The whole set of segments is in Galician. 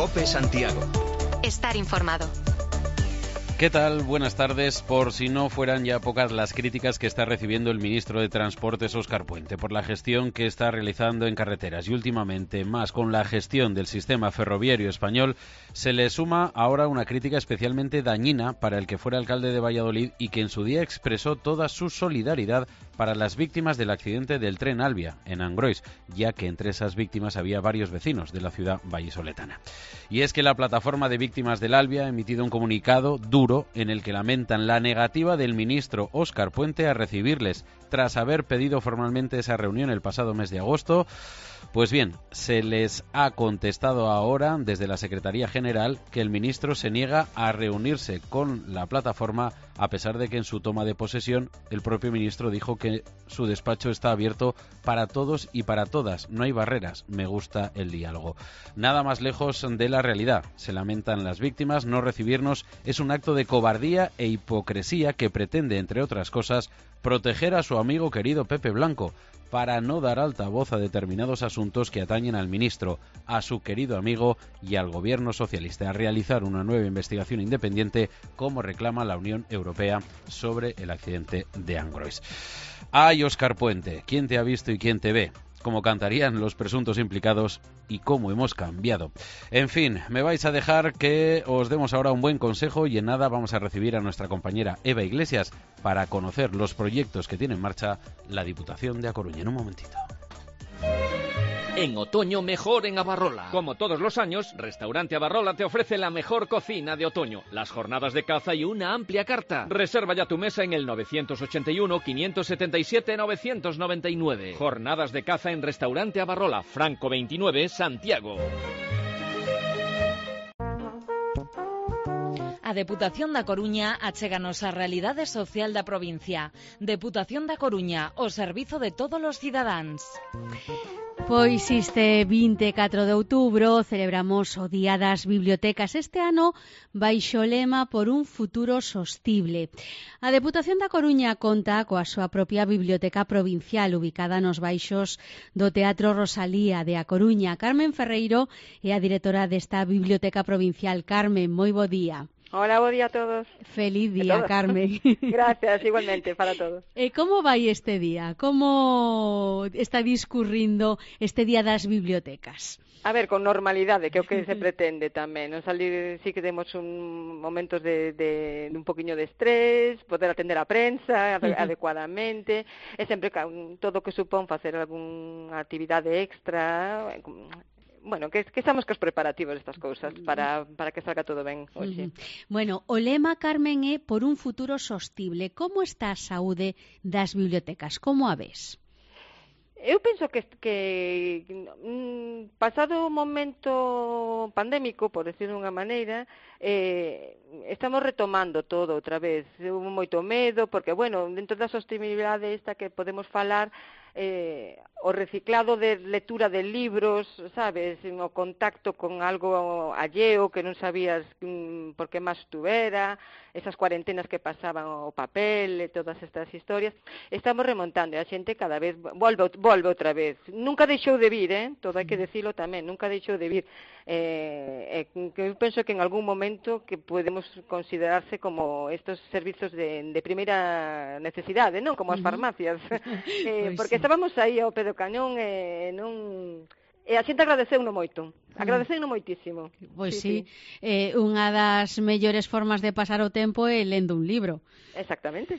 COPE Santiago. Estar informado. ¿Qué tal? Buenas tardes. Por si no fueran ya pocas las críticas que está recibiendo el ministro de Transportes, Óscar Puente, por la gestión que está realizando en carreteras y últimamente más con la gestión del sistema ferroviario español, se le suma ahora una crítica especialmente dañina para el que fuera alcalde de Valladolid y que en su día expresó toda su solidaridad para las víctimas del accidente del tren Alvia en Angrois, ya que entre esas víctimas había varios vecinos de la ciudad vallisoletana. Y es que la plataforma de víctimas del Alvia ha emitido un comunicado duro en el que lamentan la negativa del ministro Óscar Puente a recibirles tras haber pedido formalmente esa reunión el pasado mes de agosto. Pues bien, se les ha contestado ahora desde la Secretaría General que el ministro se niega a reunirse con la plataforma, a pesar de que en su toma de posesión el propio ministro dijo que su despacho está abierto para todos y para todas, no hay barreras, me gusta el diálogo. Nada más lejos de la realidad, se lamentan las víctimas, no recibirnos es un acto de cobardía e hipocresía que pretende, entre otras cosas, proteger a su amigo querido Pepe Blanco, para no dar altavoz a determinados asuntos que atañen al ministro, a su querido amigo y al gobierno socialista, a realizar una nueva investigación independiente como reclama la Unión Europea sobre el accidente de Angrois. ¡Ay, Óscar Puente! ¿Quién te ha visto y quién te ve? Como cantarían los presuntos implicados y cómo hemos cambiado. En fin, me vais a dejar que os demos ahora un buen consejo y en nada vamos a recibir a nuestra compañera Eva Iglesias para conocer los proyectos que tiene en marcha la Diputación de A Coruña. En un momentito. En otoño mejor en Abarrola. Como todos los años, Restaurante Abarrola te ofrece la mejor cocina de otoño, las jornadas de caza y una amplia carta. Reserva ya tu mesa en el 981-577-999. Jornadas de caza en Restaurante Abarrola, Franco 29, Santiago. A Deputación da Coruña achéganos a realidade social da provincia. Deputación da Coruña, o servizo de todos os cidadáns. Pois este 24 de outubro celebramos o Día das Bibliotecas este ano baixo o lema por un futuro sostible. A Deputación da Coruña conta coa súa propia biblioteca provincial ubicada nos baixos do Teatro Rosalía de A Coruña. Carmen Ferreiro é a directora desta biblioteca provincial. Carmen, moi bo día. Hola, bo día a todos. Feliz día, Carmen. Gracias, igualmente, para todos. Como vai este día? Como está discurrindo este Día das Bibliotecas? A ver, con normalidade, que é o que se pretende tamén. Non salir, sí que temos momentos de un poquinho de estrés, poder atender a prensa adecuadamente, e sempre todo o que supón facer algunha actividade extra. Bueno, que estamos cos preparativos destas cousas para que salga todo ben hoxe. Bueno, o lema, Carmen, é por un futuro sostible. Como está a saúde das bibliotecas? Como a ves? Eu penso que pasado o momento pandémico, por decirlo de unha maneira, estamos retomando todo outra vez. Hubo moito medo, porque, bueno, dentro da sostenibilidade esta que podemos falar, o reciclado de lectura de libros, sabes, o contacto con algo alleo que non sabías por que máis estuvera, esas cuarentenas que pasaban o papel e todas estas historias, estamos remontando e a xente cada vez volve outra vez. Nunca deixou de vir, todo hai que decirlo tamén, nunca deixou de vir. Que eu penso que en algún momento que podemos considerarse como estos servizos de primeira necesidade, non? Como as farmacias, porque estábamos aí ao pé do cañón e non... E a xente agradeceuno moito, agradeceuno moitísimo. Pois sí. Unha das mellores formas de pasar o tempo é lendo un libro. Exactamente.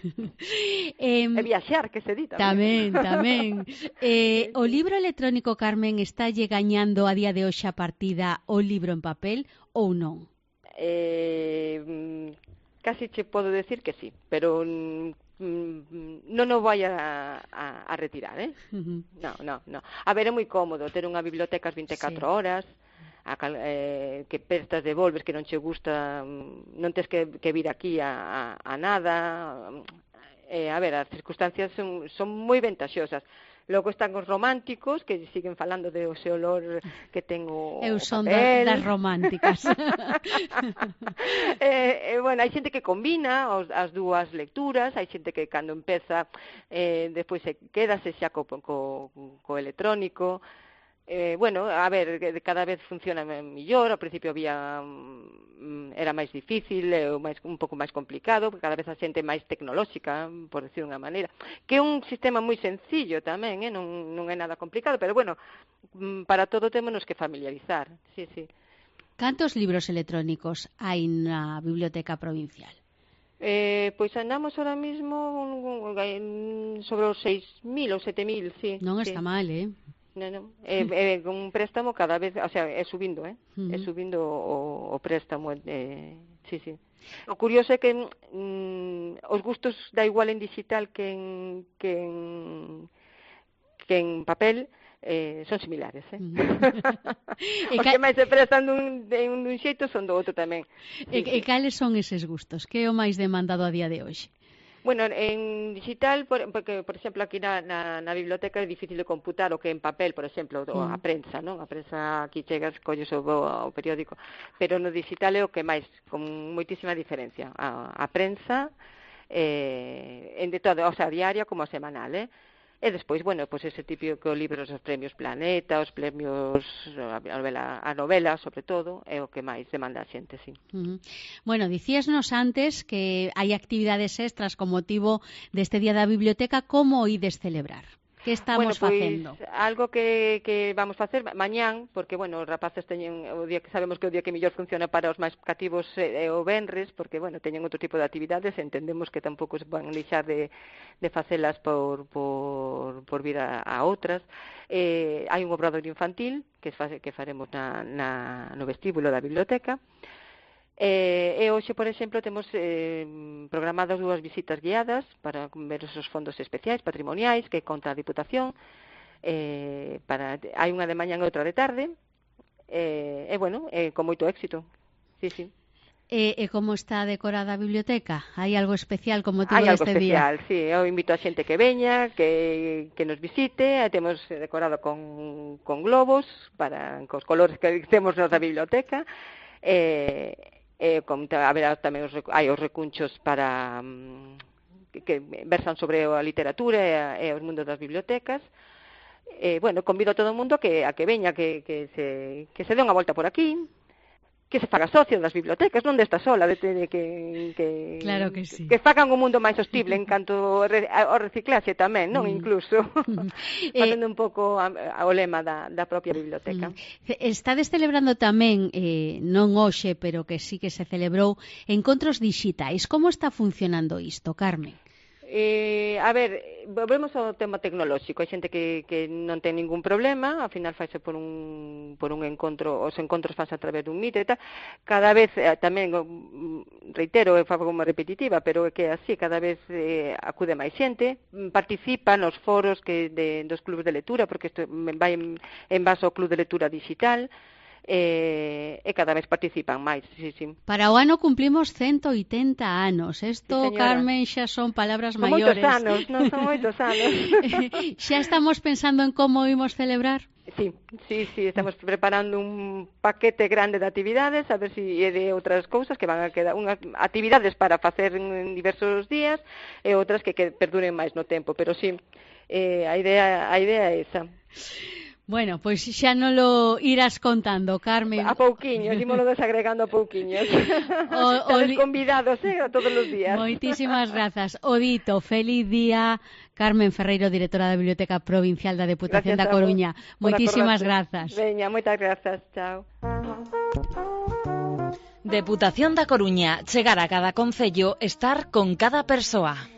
E viaxar, que se di tamén. Tamén. O libro electrónico, Carmen, está lle gañando a día de hoxe a partida o libro en papel ou non? Casi che podo decir que sí, pero non o vai a retirar, No. A ver, é moi cómodo ter unha biblioteca as 24 horas, que prestas devolves, que non che gusta, non tes que vir aquí a nada. A ver, as circunstancias son moi ventaxosas. Logo están os románticos, que siguen falando de ese olor que ten o papel. Eu son das románticas. Bueno, hai xente que combina as dúas lecturas, hai xente que cando empeza, despois quédase xa co electrónico. Bueno, a ver, cada vez funciona mellor. Ao principio era máis difícil, un pouco máis complicado, porque cada vez a xente é máis tecnolóxica, por decir unha maneira, que é un sistema moi sencillo tamén, non é nada complicado, pero bueno, para todo témonos que familiarizar, sí. Cantos libros electrónicos hai na Biblioteca Provincial? Pois andamos ahora mismo sobre os 6.000 ou 7.000, sí. Non está mal, Non. Con un préstamo cada vez, o sea, é subindo, é subindo o préstamo, sí. O curioso é que os gustos da igual en digital que en papel son similares, O que máis se prestan dun xeito son do outro tamén. E cales son eses gustos? Que é o máis demandado a día de hoxe? Bueno, en digital, porque, por exemplo, aquí na biblioteca é difícil de computar o que en papel, por exemplo, a prensa, non? A prensa aquí chegas, colles o periódico, pero no digital é o que máis, con moitísima diferencia. A prensa, de todo, o sea, diaria como semanal, E despois, bueno, pois ese típico libros, os premios Planeta, os premios a novela, sobre todo, é o que máis demanda a xente, sí. Bueno, dicíasnos antes que hai actividades extras con motivo deste Día da Biblioteca. Como ides celebrar? Que estamos facendo? Algo que vamos facer mañán, porque, bueno, os rapaces teñen o día que sabemos que o día que mellor funciona para os máis cativos é o venres, porque, bueno, teñen outro tipo de actividades, entendemos que tampouco se van deixar de facelas por vir a outras. Hai un obradoiro infantil que faremos no vestíbulo da biblioteca. E hoxe, por exemplo, temos programadas 2 visitas guiadas para ver esos fondos especiais patrimoniais que conta a Diputación. Hai unha de mañán e outra de tarde, bueno, con moito éxito, sí. E como está decorada a biblioteca? Hai algo especial con motivo Hai deste día? algo especial, sí. Eu invito a xente que veña, que nos visite. Temos decorado con globos, cos colores que temos na biblioteca. Haberá tamén os recunchos para que versan sobre a literatura e os mundos das bibliotecas. Bueno, convido a todo o mundo a que veña, que se dé unha volta por aquí, que se faga socio das bibliotecas, non desta sola, claro que sí. Que fagan un mundo máis sostible en canto ao reciclaxe tamén, non? Incluso facendo un pouco o lema da propia biblioteca. Estades celebrando tamén, non hoxe, pero que sí que se celebrou, encontros dixitais. Como está funcionando isto, Carmen? A ver, volvemos ao tema tecnolóxico. Hai xente que non ten ningún problema, ao final faise por un encontro, os encontros fanse a través dun Meet e tal. Cada vez, tamén, reitero, é como repetitiva, pero é que así, cada vez acude máis xente, participa nos foros dos clubes de lectura, porque isto vai en base ao club de lectura digital, e cada vez participan máis, sí. Para o ano cumplimos 180 anos. Isto, sí, Carmen, xa son palabras maiores. Son moitos anos. Xa estamos pensando en como imos celebrar? Sí, estamos preparando un paquete grande de actividades, a ver se é de outras cousas que van a quedar, unhas actividades para facer en diversos días e outras que perduren máis no tempo, pero sí, a idea é esa. Bueno, pois xa non lo irás contando, Carmen. A pouquiños, ímolo desagregando a pouquiños. Estades convidados, a todos os días. Moitísimas grazas. O dito, feliz día, Carmen Ferreiro, directora da Biblioteca Provincial da Deputación da Coruña. Moitísimas grazas. Veña, moitas grazas. Chao. Deputación da Coruña, chegar a cada concello, estar con cada persoa.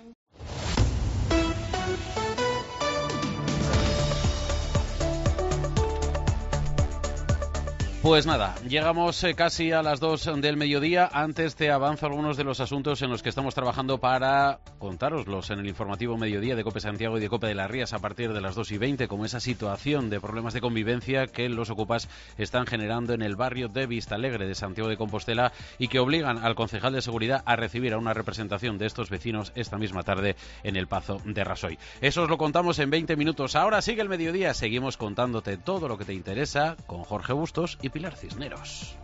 Pues nada, llegamos casi a las 2 del mediodía. Antes te avanzo algunos de los asuntos en los que estamos trabajando para contároslos en el informativo mediodía de COPE Santiago y de COPE de las Rías a partir de las 2:20, como esa situación de problemas de convivencia que los ocupas están generando en el barrio de Vistalegre de Santiago de Compostela y que obligan al concejal de seguridad a recibir a una representación de estos vecinos esta misma tarde en el Pazo de Rasoy. Eso os lo contamos en 20 minutos. Ahora sigue el mediodía, seguimos contándote todo lo que te interesa con Jorge Bustos y Pilar Cisneros.